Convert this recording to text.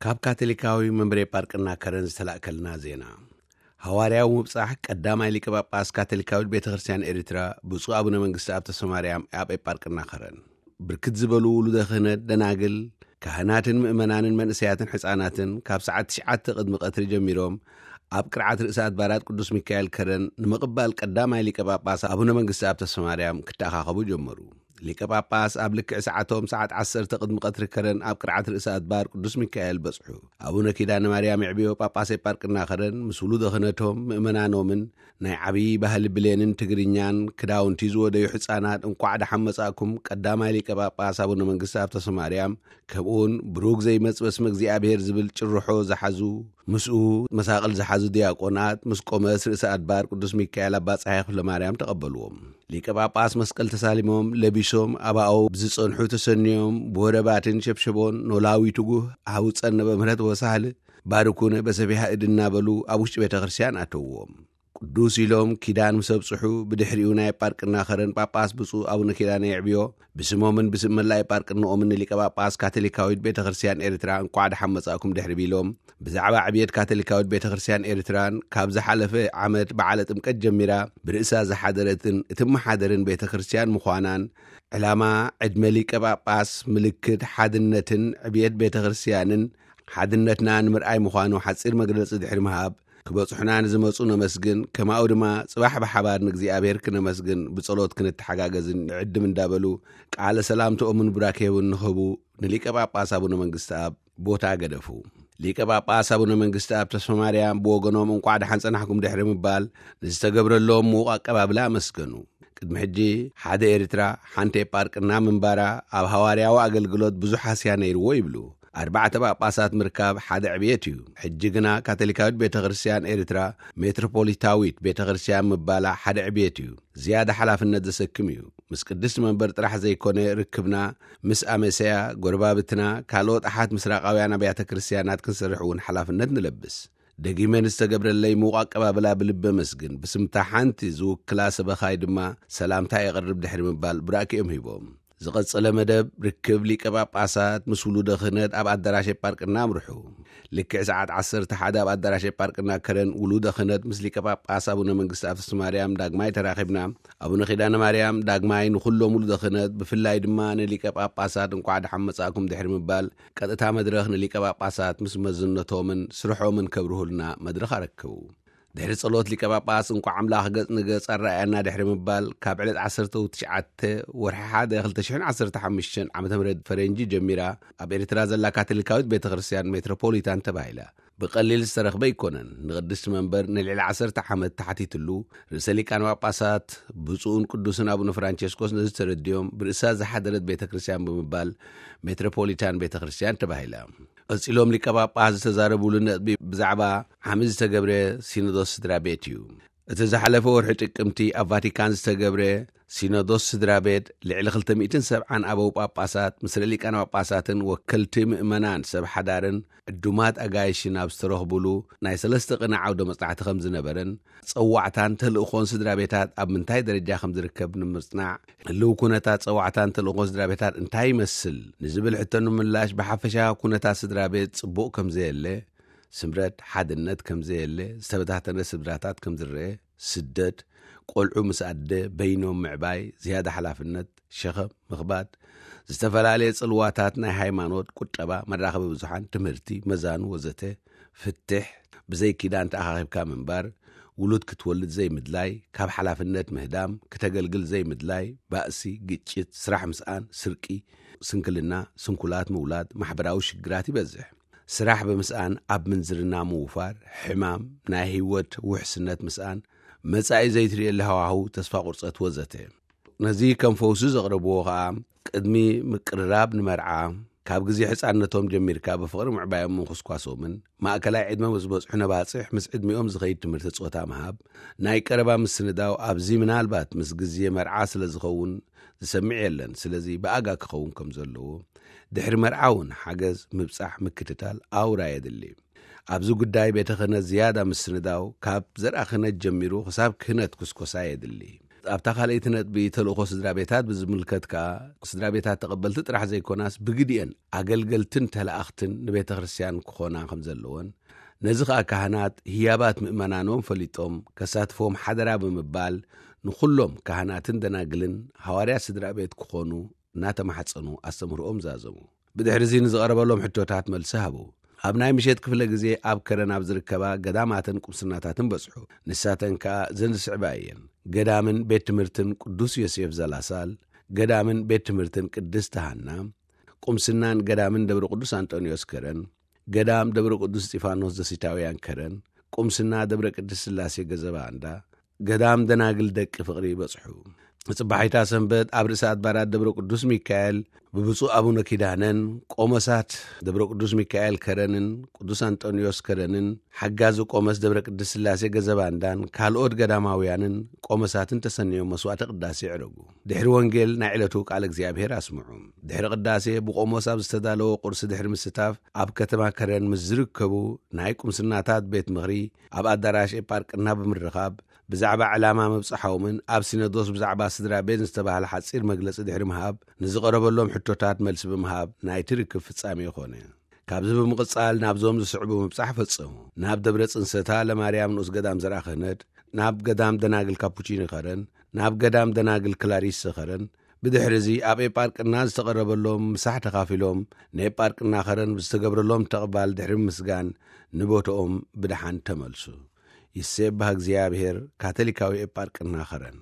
ካብ ካቶሊካዊ መንበረ ጳርቅና ከረን ዝተላእከልና ዜና። ሃዋርያዊ ምብጻሕ ቀዳማይ ሊቀ ጳጳስ ካቶሊካዊት ቤተ ክርስቲያን ኤርትራ ብፁዕ ኣቡነ መንግስቲ ኣብ ተስፋ ማርያም ኣብ ኤጳርቅና ከረን። ብርክት ዝበሉ ውሉደ ክህነት፣ ደናግል፣ ካህናትን ምእመናንን መንእሰያትን ሕፃናትን ካብ ሰዓት ትሽዓተ ቅድሚ ቀትሪ ጀሚሮም ኣብ ቅርዓት ርእሰ ኣድባራት ቅዱስ ሚካኤል ከረን ንምቕባል ቀዳማይ ሊቀ ጳጳስ ኣቡነ መንግስቲ ኣብ ተስፋ ማርያም ክተኣኻኸቡ ጀመሩ። ሊቀ ጳጳስ ኣብ ልክዕ ሰዓቶም ሰዓት ዓሰርተ ቅድሚ ቀትሪ ከረን ኣብ ቅርዓት ርእሰ ኣድባር ቅዱስ ሚካኤል በጽሑ። ኣቡነ ኪዳነ ማርያም የዕብዮ ጳጳስ ኤጳርቅና ከረን ምስ ውሉደ ክህነቶም ምእመናኖምን ናይ ዓብዪ ባህሊ ብሌንን ትግርኛን ክዳውንቲ ዝወደዩ ሕፃናት እንቋዕ ደሓን መጻእኩም ቀዳማይ ሊቀ ጳጳስ ኣቡነ መንግስቲ ኣብ ተስፋ ማርያም፣ ከምኡውን ብሩክ ዘይመጽእ በስመ እግዚኣብሔር ዝብል ጭርሖ ዝሓዙ፣ ምስኡ መሳቕል ዝሓዙ ዲያቆናት ምስ ቆመስ ርእሰ ኣድባር ቅዱስ ሚካኤል ኣባ ጸሃየ ክፍለ ማርያም ተቐበልዎም። ሊቀ ጳጳስ መስቀል ተሳሊሞም ለቢሶም ኣባኡ ብዝጸንሑ ተሰንዮም ብወረባትን ሸብሸቦን ኖላዊ ትጉህ ሃውፀነ በምህረት ወሳህል ባርኩነ በሰፊሃ እድ እናበሉ ኣብ ውሽጢ ቤተ ክርስቲያን ኣተውዎም። ቅዱስ ኢሎም ኪዳን ምስ ኣብጽሑ፣ ብድሕሪኡ ናይ ጳርቅና ከረን ጳጳስ ብፁዕ ኣቡነ ኪዳነ የዕብዮ ብስሞምን ብስም መላእ ጳርቅንኦምን ንሊቀ ጳጳስ ካቶሊካዊት ቤተ ክርስቲያን ኤርትራ እንቋዕ ደሓን መጻእኩም ድሕሪ ቢሎም፣ ብዛዕባ ዕብየት ካቶሊካዊት ቤተ ክርስቲያን ኤርትራን ካብ ዝሓለፈ ዓመት በዓለ ጥምቀት ጀሚራ ብርእሳ ዝሓደረትን እትመሓደርን ቤተ ክርስቲያን ምዃናን፣ ዕላማ ዕድመ ሊቀ ጳጳስ ምልክት ሓድነትን ዕብየት ቤተ ክርስቲያንን ሓድነትና ንምርኣይ ምዃኑ ሓጺር መግለጺ ድሕሪ ምሃብ፣ ክበጽሑና ንዝመጹ ነመስግን፣ ከማኡ ድማ ጽባሕ ብሓባር ንእግዚኣብሔር ክነመስግን ብጸሎት ክንተሓጋገዝን ንዕድም እንዳበሉ ቃለ ሰላምትኦምን ቡራኬውን ንኽህቡ ንሊቀ ጳጳስ ኣቡነ መንግስቲ ኣብ ቦታ ገደፉ። ሊቀ ጳጳስ ኣቡነ መንግስቲ ኣብ ተስፋ ማርያም ብወገኖም እንቋዕ ደሓን ጸናሕኩም ድሕሪ ምባል ንዝተገብረሎም ምዉቕ ኣቀባብላ ኣመስገኑ። ቅድሚ ሕጂ ሓደ ኤርትራ ሓንቲ ኤጳርቅና ምንባራ ኣብ ሃዋርያዊ ኣገልግሎት ብዙሕ ሃስያ ነይርዎ ይብሉ። ኣርባዕተ ጳጳሳት ምርካብ ሓደ ዕብየት እዩ። ሕጂ ግና ካቶሊካዊት ቤተ ክርስቲያን ኤርትራ ሜትሮፖሊታዊት ቤተ ክርስቲያን ምባላ ሓደ ዕብየት እዩ። ዝያዳ ሓላፍነት ዘሰክም እዩ። ምስ ቅድስቲ መንበር ጥራሕ ዘይኮነ ርክብና ምስ ኣመሰያ፣ ጎረባብትና፣ ካልኦት ኣሓት ምስራቃውያን ኣብያተ ክርስቲያናት ክንሰርሕ እውን ሓላፍነት ንለብስ። ደጊመ ንዝተገብረለይ ምዉቕ ኣቀባብላ ብልቢ ኣመስግን። ብስምታ ሓንቲ ዝውክላ ሰበኻይ ድማ ሰላምታ የቕርብ ድሕሪ ምባል ቡራኬኦም ሂቦም። ዝቐጸለ መደብ ርክብ ሊቀ ጳጳሳት ምስ ውሉደ ክህነት ኣብ ኣዳራሽ ኤጳርቅና ኣምርሑ። ልክዕ ሰዓት ዓሰርተ ሓደ ኣብ ኣዳራሽ ኤጳርቅና ከረን ውሉደ ክህነት ምስ ሊቀ ጳጳስ ኣቡነ መንግስቲ ኣፍስቲ ማርያም ዳግማይ ተራኺብና። ኣቡነ ኪዳነ ማርያም ዳግማይ ንኹሎም ውሉደ ክህነት ብፍላይ ድማ ንሊቀ ጳጳሳት እንቋዕ ደሓን መጻእኩም ድሕሪ ምባል ቀጥታ መድረኽ ንሊቀ ጳጳሳት ምስ መዝነቶምን ስርሖምን ከብርሁልና መድረኽ ኣረከቡ። ድሕሪ ጸሎት ሊቀ ጳጳስ እንቋዕ ኣምላኽ ገጽ ንገጽ ኣረኣየና ድሕሪ ምባል፣ ካብ ዕለት ዓሰርተ ትሽዓተ ወርሒ ሓደ ክልተ ሽሕን ዓሰርተ ሓሙሽተን ዓመተ ምህረት ፈረንጂ ጀሚራ ኣብ ኤርትራ ዘላ ካቶሊካዊት ቤተ ክርስቲያን ሜትሮፖሊታን ተባሂላ። ብቐሊል ዝተረኽበ ኣይኮነን። ንቅድስቲ መንበር ንልዕሊ ዓሰርተ ዓመት ተሓቲትሉ፣ ርእሰ ሊቃነ ጳጳሳት ብፁዕን ቅዱስን ኣቡነ ፍራንቸስኮስ ነዚ ተረዲኦም ብርእሳ ዝሓደረት ቤተ ክርስቲያን ብምባል ሜትሮፖሊታን ቤተ ክርስቲያን ተባሂላ። ቀጺሎም ሊቀ ጳጳስ ዝተዛረቡሉ ነጥቢ ብዛዕባ ዓሚ ዝተገብረ ሲኖዶስ ስድራ ቤት እዩ። እቲ ዝሓለፈ ወርሒ ጥቅምቲ ኣብ ቫቲካን ዝተገብረ ሲኖዶስ ስድራ ቤት ልዕሊ ክልተ ሚእትን ሰብዓን ኣበው ጳጳሳት፣ ምስለ ሊቃነ ጳጳሳትን ወከልቲ ምእመናን ሰብ ሓዳርን ዕዱማት ኣጋይሽን ኣብ ዝተረኽቡሉ ናይ ሰለስተ ቅነ ዓውደ መጽናዕቲ ከም ዝነበረን፣ ጸዋዕታን ተልእኾን ስድራ ቤታት ኣብ ምንታይ ደረጃ ከም ዝርከብ ንምጽናዕ፣ ህልው ኩነታት ጸዋዕታን ተልእኾን ስድራ ቤታት እንታይ ይመስል ንዝብል ሕቶ ንምላሽ፣ ብሓፈሻ ኩነታት ስድራ ቤት ጽቡቕ ከም ዘየለ፣ ስምረት ሓድነት ከም ዘየለ፣ ዝተበታተነ ስድራታት ከም ዝረአ፣ ስደት፣ ቆልዑ ምስ ኣደ በይኖም ምዕባይ፣ ዝያዳ ሓላፍነት፣ ሸኸም ምኽባድ፣ ዝተፈላለየ ጽልዋታት ናይ ሃይማኖት፣ ቁጠባ፣ መራኸቢ ብዙሓን፣ ትምህርቲ፣ መዛኑ ወዘተ፣ ፍትሕ፣ ብዘይ ኪዳን ተኣኻኺብካ ምንባር፣ ውሉድ ክትወልድ ዘይምድላይ፣ ካብ ሓላፍነት ምህዳም፣ ክተገልግል ዘይምድላይ፣ ባእሲ፣ ግጭት፣ ስራሕ ምስኣን፣ ስርቂ፣ ስንክልና፣ ስንኩላት ምውላድ፣ ማሕበራዊ ሽግራት ይበዝሕ። ስራሕ ብምስኣን ኣብ ምንዝርና ምውፋር፣ ሕማም፣ ናይ ህይወት ውሕስነት ምስኣን፣ መጻኢ ዘይትርእየሉ ሃዋህው፣ ተስፋ ቁርጸት ወዘተ። ነዚ ከም ፈውሲ ዘቕረብዎ ኸኣ፣ ቅድሚ ምቅርራብ ንመርዓ፣ ካብ ግዜ ሕጻንነቶም ጀሚርካ ብፍቕሪ ምዕባዮም ምንኩስኳሶምን፣ ማእከላይ ዕድመ ምስ በጽሑ ነባጽሕ ምስ ዕድሚኦም ዝኸይድ ትምህርቲ ጾታ ምሃብ፣ ናይ ቀረባ ምስንዳው፣ ኣብዚ ምናልባት ምስ ግዜ መርዓ ስለ ዝኸውን ዝሰምዕ የለን። ስለዚ ብኣጋ ክኸውን ከም ዘለዎ፣ ድሕሪ መርዓ እውን ሓገዝ፣ ምብጻሕ፣ ምክትታል ኣውራ የድሊ። ኣብዚ ጉዳይ ቤተ ክህነት ዝያዳ ምስንዳው፣ ካብ ዘርኣ ክህነት ጀሚሩ ክሳብ ክህነት ኩስኮሳ የድሊ። ኣብታ ካልኣይቲ ነጥቢ፣ ተልእኾ ስድራ ቤታት ብዝምልከት ከኣ፣ ስድራ ቤታት ተቐበልቲ ጥራሕ ዘይኮናስ፣ ብግዲኤን ኣገልገልትን ተለኣኽትን ንቤተ ክርስቲያን ክኾና ከም ዘለወን፣ ነዚ ከኣ ካህናት ህያባት ምእመናኖም ፈሊጦም ከሳትፎም ሓደራ ብምባል፣ ንኹሎም ካህናትን ደናግልን ሃዋርያ ስድራ ቤት ክኾኑ እናተማሕጸኑ ኣስተምህሮኦም ዛዘሙ። ብድሕሪ እዚ ንዝቐረበሎም ሕቶታት መልሲ ሃቡ። ኣብ ናይ ምሸት ክፍለ ግዜ ኣብ ከረን ኣብ ዝርከባ ገዳማትን ቁምስናታትን በጽሑ። ንሳተን ከኣ ዘን ዝስዕባ እየን። ገዳምን ቤት ትምህርትን ቅዱስ ዮሴፍ ዘላሳል፣ ገዳምን ቤት ትምህርትን ቅድስት ሃና፣ ቁምስናን ገዳምን ደብረ ቅዱስ ኣንጦንዮስ ከረን፣ ገዳም ደብረ ቅዱስ እስጢፋኖስ ዘሲታውያን ከረን፣ ቁምስና ደብረ ቅድስት ስላሴ ገዘባ እንዳ፣ ገዳም ደናግል ደቂ ፍቕሪ ይበጽሑ። ጽባሒታ ሰንበት ኣብ ርእሰ ኣድባራት ደብረ ቅዱስ ሚካኤል ብብፁዕ ኣቡነ ኪዳነን ቆመሳት ደብረ ቅዱስ ሚካኤል ከረንን ቅዱስ ኣንጦንዮስ ከረንን ሓጋዚ ቆመስ ደብረ ቅድስት ስላሴ ገዘባንዳን ካልኦት ገዳማውያንን ቆመሳትን ተሰንዮም መስዋዕተ ቅዳሴ ይዕረጉ። ድሕሪ ወንጌል ናይ ዕለቱ ቃል እግዚኣብሔር ኣስምዑ። ድሕሪ ቅዳሴ ብቆሞስ ኣብ ዝተዳለወ ቁርሲ ድሕሪ ምስታፍ ኣብ ከተማ ከረን ምስ ዝርከቡ ናይ ቁምስናታት ቤት ምኽሪ ኣብ ኣዳራሽ ኤጳርቅና ብምርኻብ ብዛዕባ ዕላማ ምብጻሖምን ኣብ ሲኖዶስ ብዛዕባ ስድራ ቤት ዝተባህለ ሓጺር መግለጺ ድሕሪ ምሃብ፣ ንዝቐረበሎም ሕቶታት መልሲ ብምሃብ ናይቲ ርክብ ፍጻሜ ኮነ። ካብዚ ብምቕጻል ናብዞም ዝስዕቡ ምብጻሕ ፈጸሙ። ናብ ደብረ ጽንሰታ ለማርያም ንኡስ ገዳም ዘርኣ ክህነት፣ ናብ ገዳም ደናግል ካፑቺኒ ከረን፣ ናብ ገዳም ደናግል ክላሪስ ከረን፣ ብድሕሪ እዚ ኣብ ኤጳርቅና ዝተቐረበሎም ምሳሕ ተኻፊሎም፣ ንኤጳርቅና ከረን ብዝተገብረሎም ተቕባል ድሕሪ ምስጋን ንቦትኦም ብደሓን ተመልሱ። ይሴባህ እግዚኣብሔር። ካቶሊካዊ ኤጳርቅና ከረን።